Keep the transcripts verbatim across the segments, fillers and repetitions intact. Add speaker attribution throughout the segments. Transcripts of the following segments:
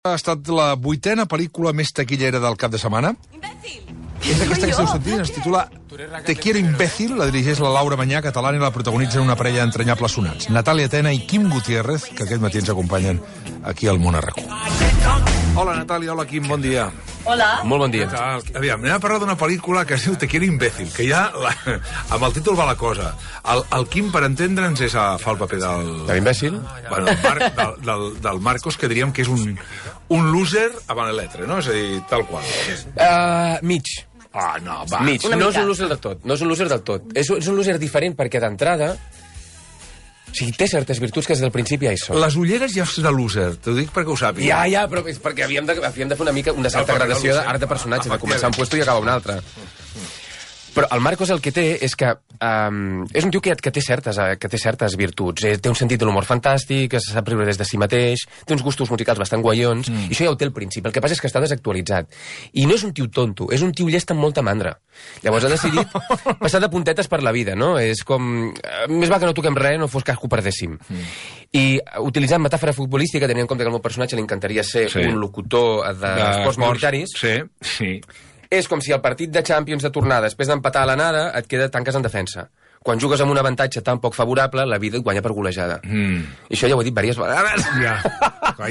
Speaker 1: Ha estat la vuitena pel·lícula més taquillera del cap de setmana.
Speaker 2: Imbècil!
Speaker 1: És aquesta que esteu sentint, es titula Te quiero imbécil, la dirigeix la Laura Mañá, catalana, i la protagonitzen una parella d'entranyables sonats, Natàlia Tena i Quim Gutiérrez, que aquest matí ens acompanyen aquí al Món a RAC u. Hola, Natàlia, hola, Quim, bon dia.
Speaker 2: Hola.
Speaker 3: Molt bon dia.
Speaker 1: Aviam, anem a parlar d'una pel·lícula que es diu Te quiero imbécil, que ja la, amb el títol va la cosa. El, el Quim, per entendre'ns, és a, fa el paper del...
Speaker 3: De l'imbècil?
Speaker 1: Bueno, el Mar, del, del, del Marcos, que diríem que és un, un loser avant l'etre, no? És a dir, tal qual.
Speaker 3: Uh, mig.
Speaker 1: Ah, no, va.
Speaker 3: Mig. No és un loser del tot. No és un loser del tot. És, és un loser diferent perquè d'entrada... O sigui, té certes virtuts que des del principi ja hi són.
Speaker 1: Les ulleres ja és de loser, t'ho dic perquè ho sàpiga.
Speaker 3: Ja, ja, però és perquè havíem de, havíem de fer una mica una certa
Speaker 1: No,
Speaker 3: gradació
Speaker 1: no
Speaker 3: d'art de personatge, de començar un puesto i acabar un altre. Però el Marcos el que té és que um, és un tio que, que, té certes, que té certes virtuts. Eh, té un sentit de l'humor fantàstic, que se sap riure des de si mateix, té uns gustos musicals bastant guaions, mm. i això ja ho té al principi. El que passa és que està desactualitzat. I no és un tio tonto, és un tio llest amb molta mandra. Llavors ha decidit passar de puntetes per la vida, no? És com... Eh, més va que no toquem res, no fos cas que ho perdéssim. Mm. I utilitzant metàfora futbolística, tenint en compte que al meu personatge li encantaria ser sí. un locutor d'esports militaris...
Speaker 1: Sí, sí.
Speaker 3: És com si el partit de Champions de tornada, després d'empatar a l'anada, et queda tanques en defensa. Quan jugues amb un avantatge tan poc favorable, la vida et guanya per golejada. Mm. I això ja ho he dit diverses vegades.
Speaker 1: Ja.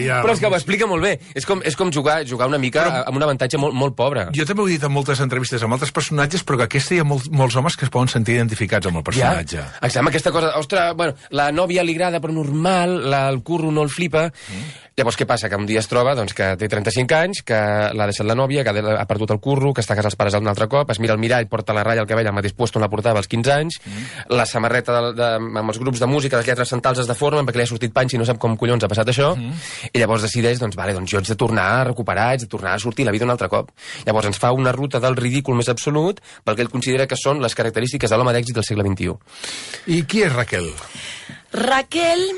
Speaker 1: Ja.
Speaker 3: Però és que ho explica molt bé. És com, és com jugar, jugar una mica però, amb un avantatge molt, molt pobre.
Speaker 1: Jo també ho he dit en moltes entrevistes amb altres personatges, però que aquesta hi ha molts, molts homes que es poden sentir identificats amb el personatge.
Speaker 3: Ja. Exacte, aquesta cosa, ostres, bueno, la nòvia li agrada però normal, la, el curro no el flipa... Mm. Llavors, què passa? Que un dia es troba doncs, que té trenta-cinc anys, que l'ha deixat la nòvia, que ha perdut el curro, que està a casa els pares un altre cop, es mira al mirall, porta la ratlla al cabell al mateix puesto on la portava als quinze anys, mm. la samarreta de, de, amb els grups de música, les lletres centrals es deformen perquè li ha sortit panxa i no sap com collons ha passat això, mm. i llavors decideix, doncs, vale, doncs jo haig de tornar a recuperar, haig de tornar a sortir la vida un altre cop. Llavors ens fa una ruta del ridícul més absolut pel que ell considera que són les característiques de l'home d'èxit del segle vint-i-u.
Speaker 1: I qui és Raquel?
Speaker 2: Raquel...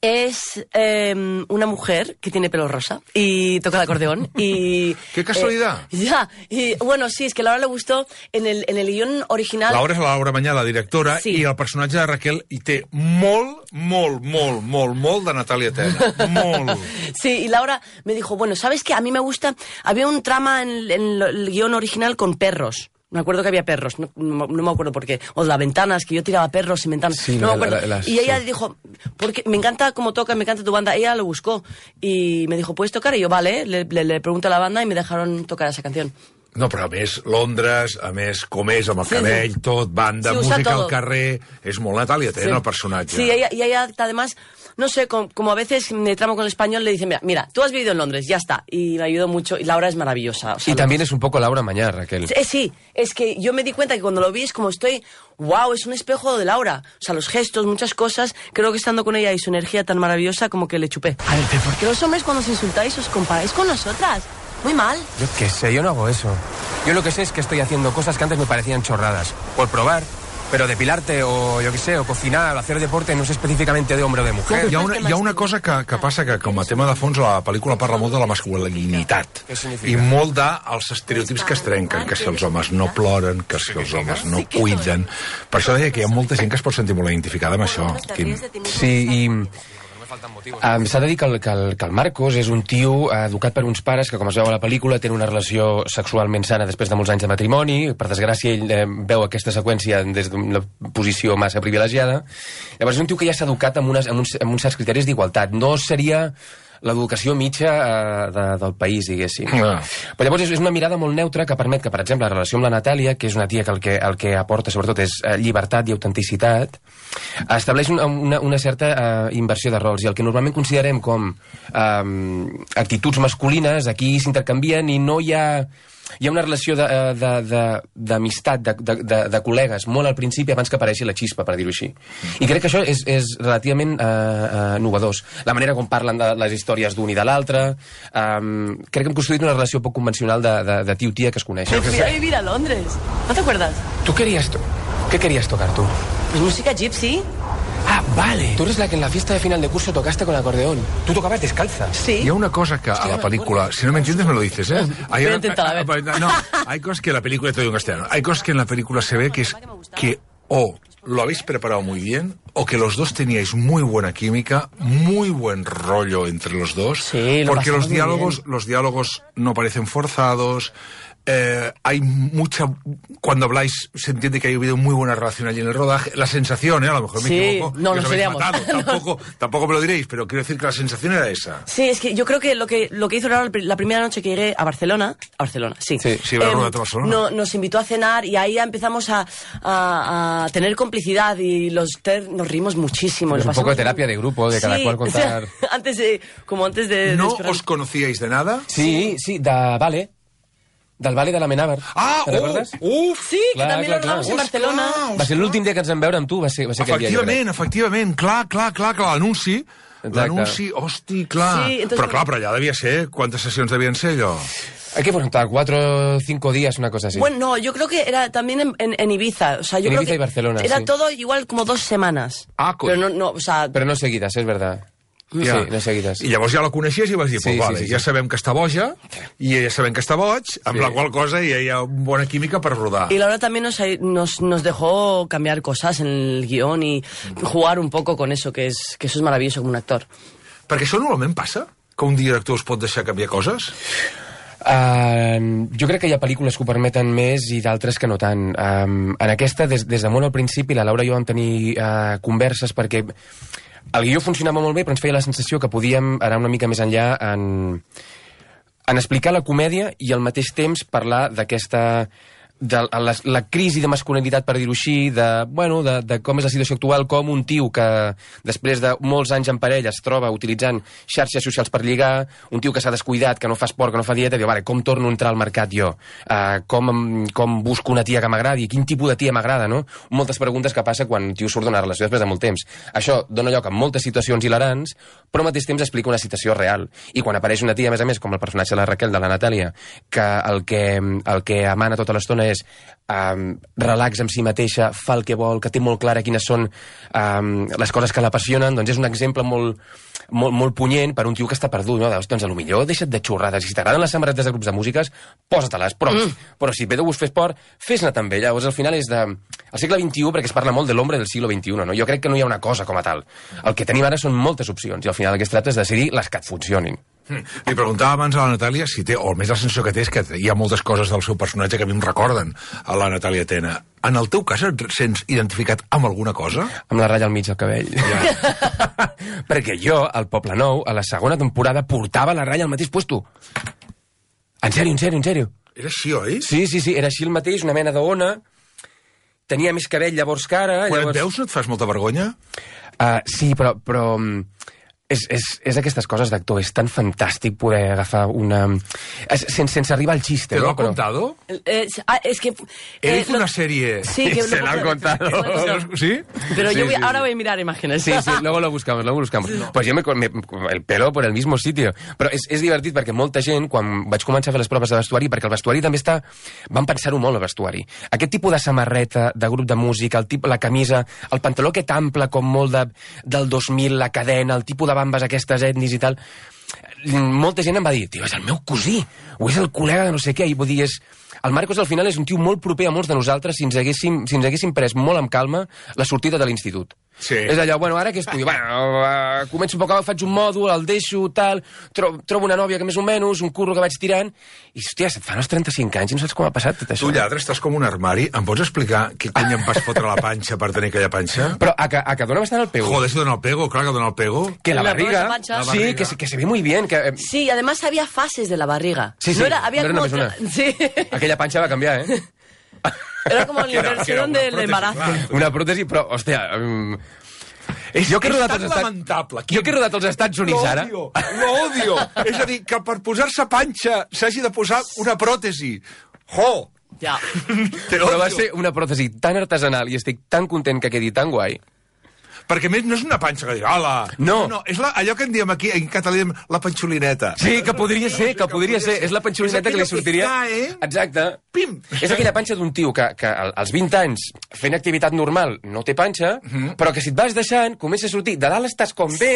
Speaker 2: es eh, una mujer que tiene pelo rosa y toca el acordeón y...
Speaker 1: ¡Qué casualidad!
Speaker 2: Eh, ya, y bueno, sí, es que a Laura le gustó en el, en el guión original...
Speaker 1: Laura és la Laura Mañá, la directora, sí. I el personatge de Raquel hi té molt, molt, molt, molt, molt de Natàlia Tena. Molt.
Speaker 2: Sí, y Laura me dijo, bueno, ¿sabes qué? A mí me gusta... Había un trama en, en el guión original con perros. Me acuerdo que había perros, no, no, no me acuerdo por qué. O de las ventanas, que yo tiraba perros y ventanas. Sí, no me acuerdo. La, la, la, y ella sí. dijo, porque me encanta cómo toca, me encanta tu banda. Ella lo buscó y me dijo, ¿puedes tocar? Y yo, vale, le, le, le pregunto a la banda y me dejaron tocar esa canción.
Speaker 1: No, però a més, Londres, a més, com és, amb el sí, cabell, sí. tot, banda, sí, música al carrer... És molt Natàlia Tena, sí. el personatge.
Speaker 2: Sí, ella, y ella, además... No sé, como, como a veces me tramo con el español, le dicen, mira, mira, tú has vivido en Londres, ya está. Y me ayudó mucho, y Laura es maravillosa. O sea,
Speaker 3: y también es un poco Laura Mañá, Raquel.
Speaker 2: Sí, sí, es que yo me di cuenta que cuando lo vi es como estoy, wow, es un espejo de Laura. O sea, los gestos, muchas cosas, creo que estando con ella y su energía tan maravillosa, como que le chupé.
Speaker 3: A ver, ¿por
Speaker 2: qué los hombres cuando os insultáis os comparáis con nosotras? Muy mal.
Speaker 3: Yo qué sé, yo no hago eso. Yo lo que sé es que estoy haciendo cosas que antes me parecían chorradas. Por probar... Però depilarte o, jo què sé, o cocinar, o hacer deporte, no és específicament de hombre o de mujer.
Speaker 1: Hi ha una, hi ha una cosa que, que passa que, com a tema de fons, la pel·lícula parla molt de la masculinitat. I molt dels estereotips que es trenquen, que si els homes no ploren, que si els homes no cuiden. Per això deia que hi ha molta gent que es pot sentir molt identificada amb això, Quim.
Speaker 3: Sí, i... Um, S'ha de dir que el, que, el, que el Marcos és un tio educat per uns pares que, com es veu a la pel·lícula, tenen una relació sexualment sana després de molts anys de matrimoni. Per desgràcia, ell eh, veu aquesta seqüència des d'una posició massa privilegiada. Llavors és un tio que ja s'ha educat amb, unes, amb, uns, amb uns certs criteris d'igualtat. No seria l'educació mitja eh, de, del país, diguéssim. Ah. Però llavors és, és una mirada molt neutra que permet que, per exemple, la relació amb la Natàlia, que és una tia que el que, el que aporta sobretot és eh, llibertat i autenticitat, estableix una, una, una certa eh, inversió de rols, i el que normalment considerem com eh, actituds masculines aquí s'intercanvien i no hi ha... Hi ha una relació d'amistat, de, de, de, de, de col·legues, molt al principi, abans que apareixi la xispa, per dir-ho així. I crec que això és, és relativament eh, eh, novedós. La manera com parlen de les històries d'un i de l'altre. Um, crec que hem construït una relació poc convencional de, de, de tio-tia que es coneix.
Speaker 2: Me fui a vivir a Londres. ¿No te acuerdas?
Speaker 3: ¿Tú querías to ¿Qué querías tocar tú?
Speaker 2: Pues música gypsy.
Speaker 3: Ah, vale. Tú eres la que en la fiesta de final de curso tocaste con el acordeón. Tú tocabas descalza.
Speaker 2: Sí.
Speaker 1: Hi ha una cosa que a la película, si no me entiendes me lo dices, ¿eh?
Speaker 2: Voy a intentar, a ver.
Speaker 1: No, hay cosas que en la película, te digo en castellano, hay cosas que en la película se ve que es que o lo habéis preparado muy bien o que los dos teníais muy buena química, muy buen rollo entre los dos,
Speaker 2: sí, lo
Speaker 1: porque los
Speaker 2: muy
Speaker 1: diálogos,
Speaker 2: bien.
Speaker 1: los diálogos no parecen forzados. Eh, hay mucha... Cuando habláis se entiende que ha habido muy buena relación allí en el rodaje. La sensación, ¿eh? A lo mejor me
Speaker 2: sí,
Speaker 1: equivoco.
Speaker 2: no,
Speaker 1: que
Speaker 2: nos
Speaker 1: os habéis
Speaker 2: seríamos.
Speaker 1: matado. Tampoco, tampoco me lo diréis, pero quiero decir que la sensación era esa.
Speaker 2: Sí, es que yo creo que lo que, lo que hizo Raúl la primera noche que llegué a Barcelona, a Barcelona, sí.
Speaker 3: Sí,
Speaker 1: sí la rueda de Barcelona.
Speaker 2: No, nos invitó a cenar y ahí ya empezamos a, a, a tener complicidad y los ter nos rimos muchísimo.
Speaker 3: Es un poco de terapia de grupo, de cada
Speaker 2: sí,
Speaker 3: cual contar...
Speaker 2: O sea, antes de, como antes de...
Speaker 1: ¿No
Speaker 2: de
Speaker 1: os conocíais de nada?
Speaker 3: Sí, sí, de Vale. Del Vale de la Menàver.
Speaker 1: Ah,
Speaker 3: Te'n recordes?
Speaker 1: oh, uf!
Speaker 2: Sí,
Speaker 3: Clar,
Speaker 2: que també
Speaker 3: clar,
Speaker 2: lo rodamos
Speaker 3: clar.
Speaker 2: en Barcelona.
Speaker 1: Ostres,
Speaker 3: Va ser l'últim dia que ens vam veure amb tu, va ser, va ser aquell dia, jo crec.
Speaker 1: Efectivament, efectivament, clar, clar, clar, clar, l'anunci,
Speaker 3: Exacte.
Speaker 1: l'anunci, hosti, clar.
Speaker 2: Sí, entonces-
Speaker 1: Però clar, però allà devia ser, quantes sessions devien ser, allò?
Speaker 3: Hay que preguntar, cuatro o cinco días, una cosa así.
Speaker 2: Bueno, no, yo creo que era también en, en, en Ibiza. O sea, yo
Speaker 3: En
Speaker 2: creo
Speaker 3: Ibiza
Speaker 2: que
Speaker 3: y Barcelona,
Speaker 2: era
Speaker 3: sí.
Speaker 2: todo igual como dos semanas.
Speaker 1: Ah, coi.
Speaker 2: Pero no, no, o sea...
Speaker 3: Però no seguides, és verdad.
Speaker 1: Ja.
Speaker 3: Sí, no seguides.
Speaker 1: I llavors ja la coneixies i vas dir,
Speaker 3: Sí,
Speaker 1: pues
Speaker 3: sí,
Speaker 1: vale,
Speaker 3: sí, sí.
Speaker 1: ja sabem que està boja, i ja sabem que està boig, amb
Speaker 3: Sí.
Speaker 1: la qual cosa ja hi ha bona química per rodar.
Speaker 2: Y Laura también nos, nos, nos dejó cambiar cosas en el guión y jugar un poco con eso, que, es, que eso es maravilloso como un actor.
Speaker 1: Perquè això normalment passa? Que un director us pot deixar canviar coses?
Speaker 3: Uh, jo crec que hi ha pel·lícules que ho permeten més i d'altres que no tant. Um, en aquesta, des, des de molt al principi, la Laura i jo vam tenir uh, converses perquè el guió funcionava molt bé, però ens feia la sensació que podíem anar una mica més enllà en, en explicar la comèdia i al mateix temps parlar d'aquesta... de la, la crisi de masculinitat, per dir-ho així, de, bueno, de, de com és la situació actual, com un tio que després de molts anys en parella es troba utilitzant xarxes socials per lligar, un tio que s'ha descuidat, que no fa esport, que no fa dieta, diu, vale, com torno a entrar al mercat jo? Uh, com, com busco una tia que m'agradi? Quin tipus de tia m'agrada, no? Moltes preguntes que passa quan un tio surt d'una relació després de molt temps. Això dona lloc a moltes situacions hilarants, però al mateix temps explica una situació real. I quan apareix una tia, a més a més, com el personatge de la Raquel, de la Natàlia, que el que, el que emana tota l'estona és um, relax amb si mateixa, fa el que vol, que té molt clara quines són um, les coses que l'apassionen, doncs és un exemple molt, molt, molt punyent per un tio que està perdut, no? Doncs, doncs potser deixa't de xorrades, i si t'agraden les samarretes de grups de músiques, posa-te-les, però, mm. però si ve de gust fer esport, fes-ne també. Llavors al final és de... El segle vint-i-u, perquè es parla molt de l'home del segle vint-i-u, no? Jo crec que no hi ha una cosa com a tal. El que tenim ara són moltes opcions, i al final el que es tracta és de decidir les que et funcionin.
Speaker 1: Li preguntava abans a la Natàlia si té, o almenys la sensació que té és que hi ha moltes coses del seu personatge que a mi em recorden a la Natàlia Tena. En el teu cas et sents identificat amb alguna cosa?
Speaker 3: Amb la ratlla al mig del cabell. Ja. Perquè jo, al Poble Nou, a la segona temporada, portava la ratlla al mateix puesto. En sèrio, en sèrio, en sèrio.
Speaker 1: Era així, oi?
Speaker 3: Sí, sí, sí, era així el mateix, una mena d'ona. Tenia més cabell llavors que ara.
Speaker 1: Quan
Speaker 3: llavors...
Speaker 1: et veus no et fas molta vergonya?
Speaker 3: Uh, sí, però... però És, és, és aquestes coses d'actor, és tan fantàstic poder agafar una... És, sense, sense arribar al xiste,
Speaker 1: ¿Te lo
Speaker 3: no?
Speaker 1: ha contado?
Speaker 2: Eh, ah, es que...
Speaker 1: Él
Speaker 2: eh,
Speaker 1: hizo
Speaker 2: lo-
Speaker 1: una serie...
Speaker 2: Sí, que
Speaker 3: Se
Speaker 2: lo-
Speaker 3: la han contado.
Speaker 1: ¿Sí?
Speaker 2: Pero
Speaker 3: Sí,
Speaker 2: yo voy-
Speaker 3: sí,
Speaker 2: ahora
Speaker 3: sí.
Speaker 2: voy a mirar imágenes.
Speaker 3: Sí, sí, luego lo buscamos, luego lo buscamos. Pues yo me, me... El pelo por el mismo sitio. Però és, és divertit perquè molta gent, quan vaig començar a fer les proves de vestuari, perquè el vestuari també està... Van pensar-ho molt, el vestuari. Aquest tipus de samarreta, de grup de música, el tip, la camisa, el pantaló aquest ample, com molt de, del dos mil, la cadena, el tipus de bambes aquestes etnis i tal... Molta gent em va dir, tio, és el meu cosí, o és el col·lega de no sé què, i vull dir, és... El Marcos al final és un tio molt proper a molts de nosaltres si ens haguéssim, si ens haguéssim pres molt amb calma la sortida de l'institut.
Speaker 1: Sí.
Speaker 3: És allò, bueno, ara què estudio? Bueno, uh, començo un poc, faig un mòdul, el deixo, tal, tro trobo una nòvia que més o menys, un curro que vaig tirant, i, hòstia, se't fan els trenta-cinc anys i no saps com ha passat tot això.
Speaker 1: Tu, lladre, estàs com un armari. Em pots explicar què cony em vas fotre a la panxa per tenir aquella panxa?
Speaker 3: Però a que, a que dona bastant el pego.
Speaker 1: Joder, si dona el pego, clar que dona el pego.
Speaker 3: Que la
Speaker 2: La
Speaker 3: barriga,
Speaker 2: la pancha.
Speaker 1: La
Speaker 3: sí,
Speaker 1: barriga.
Speaker 3: que, se- que se ve muy bien, que... eh,
Speaker 2: Sí, además había fases de la barriga.
Speaker 3: Sí, sí,
Speaker 2: no era, había
Speaker 3: no era
Speaker 2: como
Speaker 3: només
Speaker 2: otra- Sí.
Speaker 3: aquella panxa va canviar, eh?
Speaker 2: Era como la
Speaker 1: Que era- que era
Speaker 2: inversión
Speaker 1: una
Speaker 2: del
Speaker 1: prótesis,
Speaker 2: embarazo.
Speaker 1: clar.
Speaker 3: Una pròtesi, però, hòstia... Um...
Speaker 1: És,
Speaker 3: Jo que he
Speaker 1: és
Speaker 3: rodat
Speaker 1: tan
Speaker 3: als Estats-
Speaker 1: lamentable.
Speaker 3: Jo que he rodat als Estats Units ara...
Speaker 1: L'odio, l'odio. És a dir, que per posar-se panxa s'hagi de posar una pròtesi. Jo!
Speaker 2: Ya.
Speaker 1: Te
Speaker 3: Però va
Speaker 1: odio.
Speaker 3: ser una pròtesi tan artesanal i estic tan content que quedi tan guai.
Speaker 1: Perquè a més no és una panxa que diu, hola.
Speaker 3: No.
Speaker 1: no és la, allò que en diem aquí, en català, diem la panxolineta.
Speaker 3: Sí, que podria ser, que podria ser. És la panxolineta
Speaker 1: És
Speaker 3: que li
Speaker 1: aquella que
Speaker 3: sortiria...
Speaker 1: cae.
Speaker 3: Exacte.
Speaker 1: Pim.
Speaker 3: És aquella panxa d'un tio que, que al- als vint anys, fent activitat normal, no té panxa, però que si et vas deixant, comença a sortir. De dalt estàs com bé,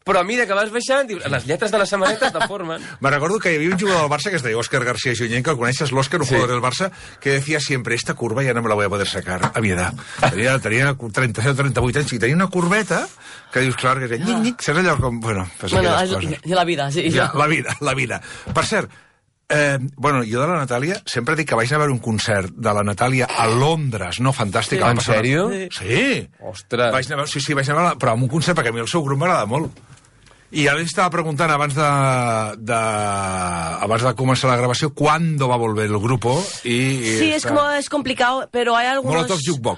Speaker 3: però a mesura que vas baixant, dius, les lletres de la samarreta es deformen.
Speaker 1: Me recordo que hi havia un jugador del Barça que es deia Òscar García Junyent, que el coneixes, l'Òscar, un sí. jugador del Barça, que decía siempre, esta curva ya no me la voy a poder sacar a mi edad. Tenia, tenia trenta-set o trenta-vuit anys i tenia una curveta que dius, clar, que és nyik, nyik, saps allò com... Bueno, pues
Speaker 2: bueno
Speaker 1: aquelles coses.
Speaker 2: I la vida, sí.
Speaker 1: Ja, la vida, la vida. Per cert, eh, bueno, jo de la Natàlia sempre dic que vaig anar a veure un concert de la Natàlia a Londres, no? Fantàstic.
Speaker 3: Sí. En sèrio?
Speaker 1: Sí.
Speaker 3: Ostres.
Speaker 1: Vaig anar a veure, sí, sí, vaig anar a veure, però amb un concert, perquè a mi el seu grup m'agrada molt. I ara li estava preguntant abans de, de, abans de començar la grabació cuándo va a volver el grupo y, y
Speaker 2: sí, está... es como es complicado, pero hay algunos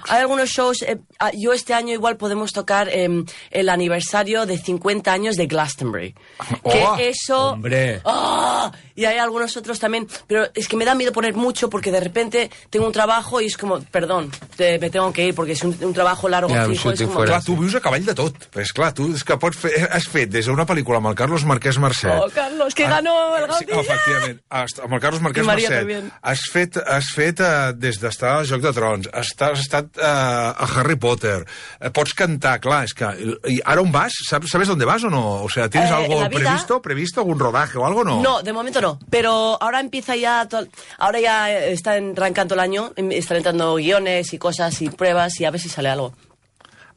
Speaker 2: hay algunos shows. Eh, yo este año igual podemos tocar eh, el aniversario de cincuenta años de Glastonbury.
Speaker 1: Oh,
Speaker 2: que eso,
Speaker 3: hombre.
Speaker 2: Oh, y hay algunos otros también, pero es que me da miedo poner mucho porque de repente tengo un trabajo y es como, perdón, te, me tengo que ir porque es un, un trabajo largo.
Speaker 3: Ja,
Speaker 2: fijo, és com...
Speaker 1: Clar, tu vius a cavall de tot. Pues, clar, tu és que pots fer, has fet des d'una pel·lícula amb el Carlos Marquès Marcet.
Speaker 2: Oh, Carlos, que ganó el Gaudí.
Speaker 1: Sí, efectivament. Amb el Carlos Marquès Marcet. También. Has fet, has fet uh, des d'estar al Joc de Trons, has, has estat uh, a Harry Potter, uh, pots cantar, clar, és que... I ara on vas? ¿Sabes, ¿Sabes dónde vas o no? O sea, ¿tienes eh, algo previsto? ¿Previsto? ¿Algún rodaje o algo no?
Speaker 2: No, de momento no. Pero ahora empieza ya... To... Ahora ya está arrancando el año, están entrando guiones y cosas y pruebas y a ver si sale algo.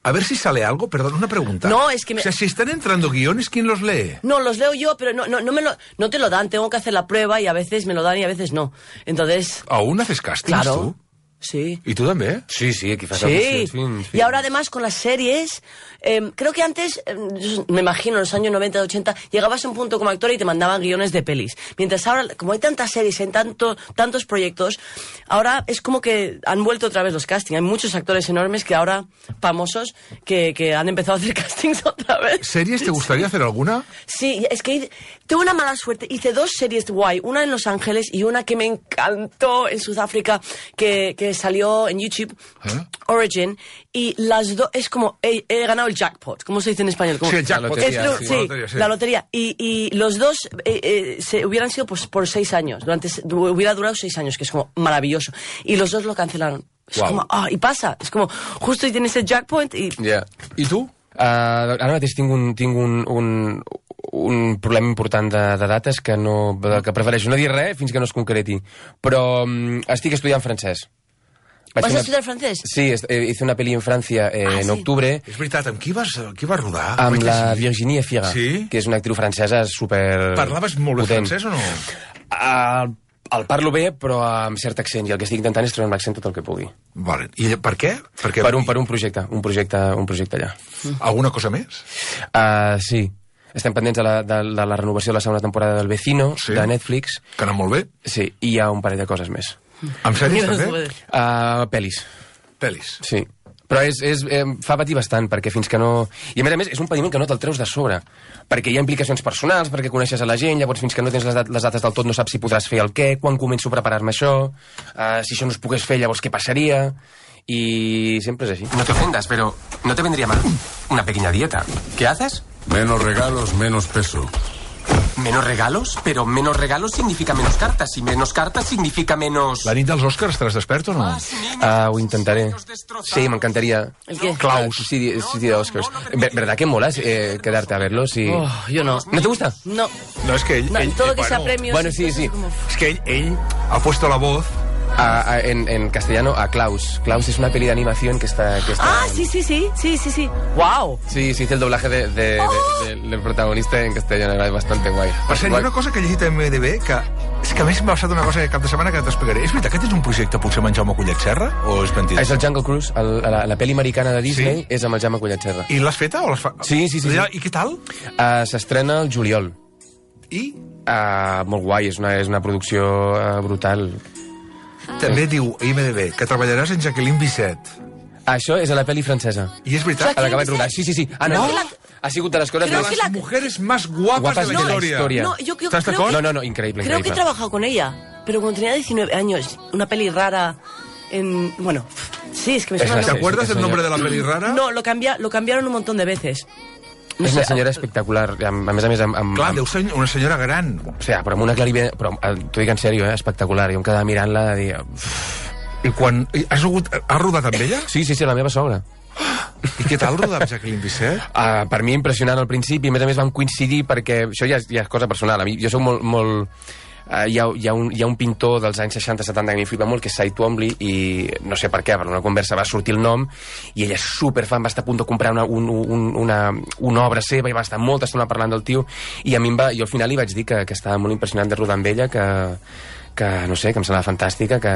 Speaker 1: A ver si sale algo, perdón, una pregunta.
Speaker 2: No, es que me...
Speaker 1: O sea, si están entrando guiones, ¿quién los lee?
Speaker 2: No, los leo yo, pero no, no, no, me lo, no te lo dan, tengo que hacer la prueba y a veces me lo dan y a veces no. Entonces...
Speaker 1: ¿Aún haces castings
Speaker 2: claro.
Speaker 1: tú?
Speaker 2: Sí.
Speaker 1: ¿Y tú también?
Speaker 3: Sí, sí, aquí fas
Speaker 2: sí. Y ahora además con las series, eh, creo que antes, eh, me imagino en los años noventa, ochenta, llegabas a un punto como actor y te mandaban guiones de pelis. Mientras ahora, como hay tantas series, en tanto, tantos proyectos, ahora es como que han vuelto otra vez los castings. Hay muchos actores enormes que ahora, famosos, que, que han empezado a hacer castings otra vez.
Speaker 1: ¿Series te gustaría hacer alguna?
Speaker 2: Sí, es que tuve una mala suerte. Hice dos series guay, una en Los Ángeles y una que me encantó en Sudáfrica, que, que salió en YouTube, ¿eh? Origin, y las dos, es como, he, he ganado el jackpot, ¿cómo se dice en español? Como,
Speaker 1: sí, el jackpot.
Speaker 2: Es,
Speaker 3: lotería,
Speaker 2: sí,
Speaker 1: sí. La lotería, sí.
Speaker 2: La lotería. Y, y los dos eh, eh, se, hubieran sido pues, por seis años, durante, hubiera durado seis años, que es como maravilloso. Y los dos lo cancelaron. Es
Speaker 1: wow.
Speaker 2: como, ah, y pasa, es como, justo y tienes el jackpot y...
Speaker 3: Yeah.
Speaker 1: ¿Y tú?
Speaker 3: Uh, ara mateix tinc un, tinc un, un, un problema important de, de dates que, no, que prefereixo no dir res fins que no es concreti. Però um, estic estudiant francès.
Speaker 2: ¿Vas a estudiar francés?
Speaker 3: Sí, hice una peli en Francia eh, ah, en
Speaker 2: sí.
Speaker 3: octubre.
Speaker 1: És veritat, amb qui vas, qui vas rodar?
Speaker 3: Amb la Virginie Fira,
Speaker 1: sí?
Speaker 3: que és una actriu francesa super...
Speaker 1: Parlaves molt bé francès o no?
Speaker 3: Uh, el parlo bé, però amb cert accent, i el que estic intentant és treure un accent tot el que pugui.
Speaker 1: Vale. I per què? Perquè...
Speaker 3: Per, un, per un projecte, un projecte, un projecte allà.
Speaker 1: Alguna cosa més?
Speaker 3: Uh, sí. Estem pendents de la, de, de la renovació de la segona temporada del Vecino, sí. de Netflix.
Speaker 1: Que ha anat molt bé.
Speaker 3: Sí, i hi ha un parell de coses més.
Speaker 1: Amb sèries, també?
Speaker 3: Uh, pelis.
Speaker 1: Pelis.
Speaker 3: Sí. Però és, és, eh, fa patir bastant, perquè fins que no... I a més a més, és un patiment que no te'l treus de sobre, perquè hi ha implicacions personals, perquè coneixes a la gent, llavors fins que no tens les, dat les dates del tot no saps si podràs fer el què, quan començo a preparar-me això, uh, si això no es pogués fer, llavors què passaria... Y siempre es así.
Speaker 4: No te ofendas, pero no te vendría mal una pequeña dieta. ¿Qué haces?
Speaker 5: Menos regalos, menos peso.
Speaker 4: ¿Menos regalos? Pero menos regalos significa menos cartas, y menos cartas significa menos...
Speaker 1: La nit dels Oscars estaràs despert o no?
Speaker 3: Ah, ho intentaré. Sí, m'encantaría.
Speaker 2: ¿El qué?
Speaker 3: Klaus. Sí, sí, de Oscars. ¿Verdad que mola eh, quedarte a verlos? Y...
Speaker 2: Oh, yo no.
Speaker 3: ¿No te gusta?
Speaker 2: No.
Speaker 1: No, es que ell...
Speaker 2: No,
Speaker 1: ell
Speaker 2: todo
Speaker 1: eh,
Speaker 2: que sea
Speaker 1: bueno,
Speaker 2: premios...
Speaker 3: Bueno, sí, sí.
Speaker 2: Como...
Speaker 1: Es que ell, ell ha puesto la voz...
Speaker 3: A, a, en, en castellano, a Klaus. Klaus es una peli de animación que está... Que está
Speaker 2: ah, sí, sí, sí, sí, sí, sí. ¡Wow!
Speaker 3: Sí, se hizo el doblaje de, de,
Speaker 2: oh.
Speaker 3: de, de, del protagonista en castellano, era bastante guay.
Speaker 1: Per cert, hi ha una cosa que he llegit a M D B que... És que a més m'ha passat una cosa cap de setmana que t'explicaré. És veritat que tens un projecte potser amb en Jaume Collet Serra? O és mentida?
Speaker 3: És el Jungle Cruise, el, la, la peli americana de Disney, sí? És amb el Jaume Collet Serra.
Speaker 1: I l'has feta o l'has fa...
Speaker 3: Sí, sí, sí, sí.
Speaker 1: I què tal?
Speaker 3: Uh, S'estrena el juliol.
Speaker 1: I?
Speaker 3: Uh, molt guai, és una, és una producció uh, brutal.
Speaker 1: També diu a I M D B que treballaràs en Jacqueline Bisset.
Speaker 3: Això és a la pel·li francesa.
Speaker 1: I és veritat?
Speaker 3: A la que vaig rodar. Sí, sí, sí. Ah, no, no. Ha sigut de les coses
Speaker 1: de
Speaker 3: más...
Speaker 1: las mujeres más guapas,
Speaker 3: guapas
Speaker 1: de la
Speaker 3: no,
Speaker 1: historia.
Speaker 2: No, yo, yo
Speaker 1: ¿Estás de
Speaker 2: creo
Speaker 1: acuerdo?
Speaker 3: No, no, no, increíble,
Speaker 2: Creo
Speaker 3: increíble.
Speaker 2: que he trabajado con ella, pero cuando tenía diecinueve años, una peli rara en... Bueno, sí, es que me suena...
Speaker 1: ¿Te acuerdas del nombre de la peli rara?
Speaker 2: No, lo, cambia, lo cambiaron un montón de veces.
Speaker 3: No és una senyora espectacular, a més a més amb... amb
Speaker 1: Clar, deu ser una senyora gran.
Speaker 3: O sigui, però amb una clarividència... Però t'ho dic en sèrio, eh? Espectacular. Jo em quedava mirant-la i...
Speaker 1: I quan... Has, rodat, has rodat amb ella?
Speaker 3: Sí, sí, sí, la meva sogra.
Speaker 1: I què tal rodar amb Jacqueline Bisset?
Speaker 3: Uh, per mi impressionant al principi, a més a més vam coincidir perquè això ja és, ja és cosa personal. A mi, jo soc molt... molt uh, hi, ha, hi, ha un, hi ha un pintor dels anys seixanta setanta que m'hi flipa molt, que és Cy Twombly, i no sé per què, per una conversa va sortir el nom, i ella és superfan, va estar a punt de comprar una, un, un, una, una obra seva, i va estar molta estona parlant del tio, i a mi em va, jo al final li vaig dir que, que estava molt impressionant de rodar amb ella, que, que no sé, que em semblava fantàstica, que,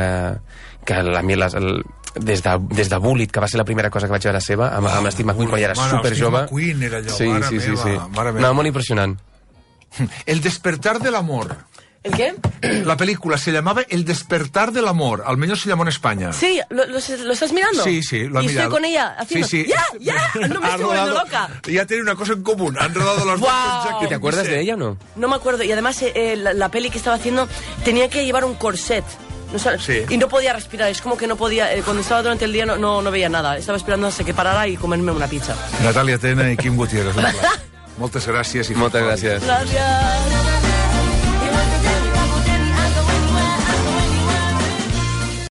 Speaker 3: que la, la, el, des de, des de Bullitt, que va ser la primera cosa que vaig veure seva, amb, oh, amb Steve McQueen, quan ja era superjove.
Speaker 1: Steve McQueen era allò,
Speaker 3: sí,
Speaker 1: mare
Speaker 3: sí, sí,
Speaker 1: meva,
Speaker 3: sí.
Speaker 1: mare meva.
Speaker 3: No, molt impressionant.
Speaker 1: El despertar del amor.
Speaker 2: ¿El qué?
Speaker 1: La película se llamaba El despertar del amor, al menos se llamó en España.
Speaker 2: Sí, ¿lo, lo, lo estás mirando?
Speaker 1: Sí, sí, lo he
Speaker 2: y
Speaker 1: mirado.
Speaker 2: Estoy con ella haciendo...
Speaker 1: Sí, sí.
Speaker 2: ¡Ya, ya! No me
Speaker 1: Ha
Speaker 2: estoy volviendo
Speaker 1: rodado,
Speaker 2: loca.
Speaker 1: Ya tiene una cosa en común, han rodado las dos con Jacqueline
Speaker 3: ¿Y te acuerdas
Speaker 1: Bisset.
Speaker 3: de ella o no?
Speaker 2: No me acuerdo, y además eh, la, la peli que estaba haciendo tenía que llevar un corset. No sabes,
Speaker 1: sí.
Speaker 2: Y no podía respirar, es como que no podía, eh, cuando estaba durante el día no, no, no veía nada, estaba esperando hasta que parara y comerme una pizza.
Speaker 1: Natalia Tena i Quim Gutiérrez. Moltes gràcies. I
Speaker 3: Moltes gràcies.
Speaker 2: Gracias.